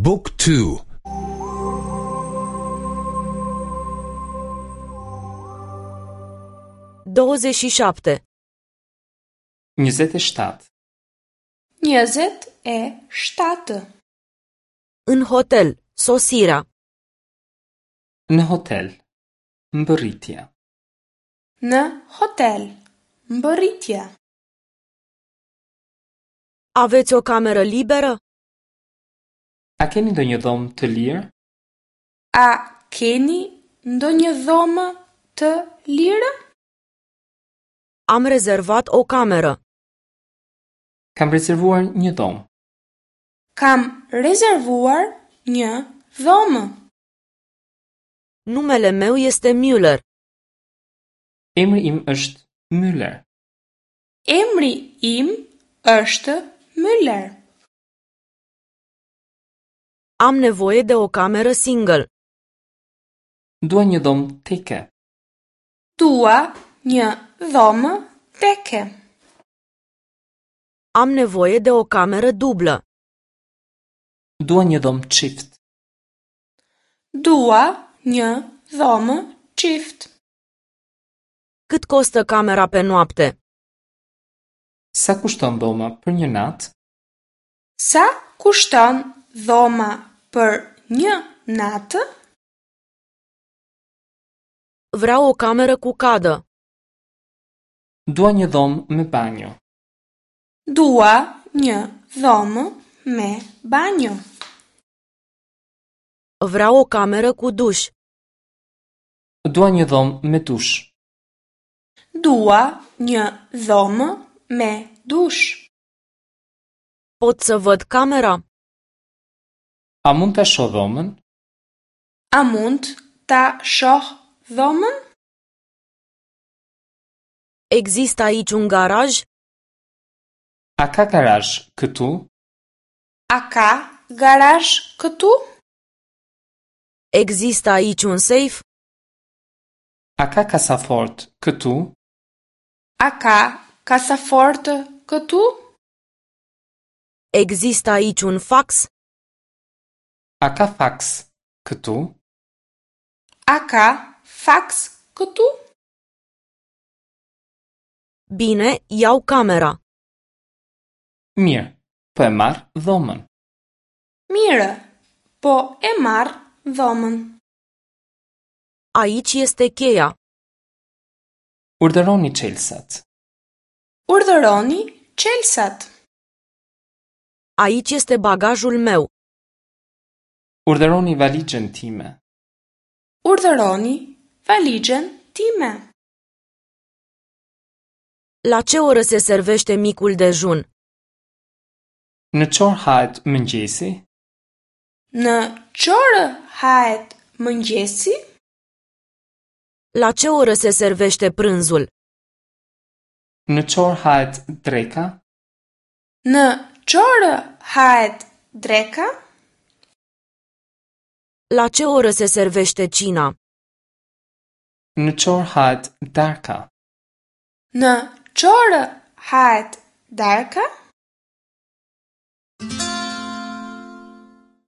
บุ๊กทู 27. 27. 27. În hotel, sosirea. Në hotel. Mbërritja. Në hotel. Mbërritja. Aveți o cameră liberă? A keni ndonjë dhomë të lirë? A keni ndonjë dhomë të lirë? Am rezervat o cameră. Kam rezervuar një dhomë. Kam rezervuar një dhomë. Numele meu este Müller. Emri im është Müller. Emri im është Müller. Am nevoie de o cameră single. Dua një dhomë teke. Dua një dhomë teke. Am nevoie de o cameră dublă. Dua një dhomë çift. Dua një dhomë çift. Cât costă camera pe noapte? Sa kushton dhoma për një natë? Sa kushton dhoma për një natë? Vreau o cameră cu cadă. Dua një dhomë me banjo. Dua një dhomë me banjo. Vreau o cameră cu duș. Dua një dhomë me dush. Dua një dhomë me dush. Pot să văd camera? A mund ta shoh dhomën? A mund ta shoh dhomën? Există aici un garaj? A ka garazh këtu? A ka garazh këtu? Există aici un safe? A ka kasafort këtu? A ka kasafortë këtu? Există aici un fax? A ka faks këtu? A ka faks këtu? Bine, iau camera. Mirë, po e marr dhomën. Mirë, po e marr dhomën. Aici este cheia. Urdhëroni çelësat. Urdhëroni çelësat. Aici este bagajul meu. Urdhëroni valixhen time. Urdhëroni valixhen time. La ce oră se servește micul dejun? Në çorë hahet mëngjesi? Në çorë hahet mëngjesi? La ce oră se servește prânzul? Në çorë hahet dreka? Në çorë hahet dreka? La ce oră se servește cina? Në çorë hahet darka? Në çorë hahet darka?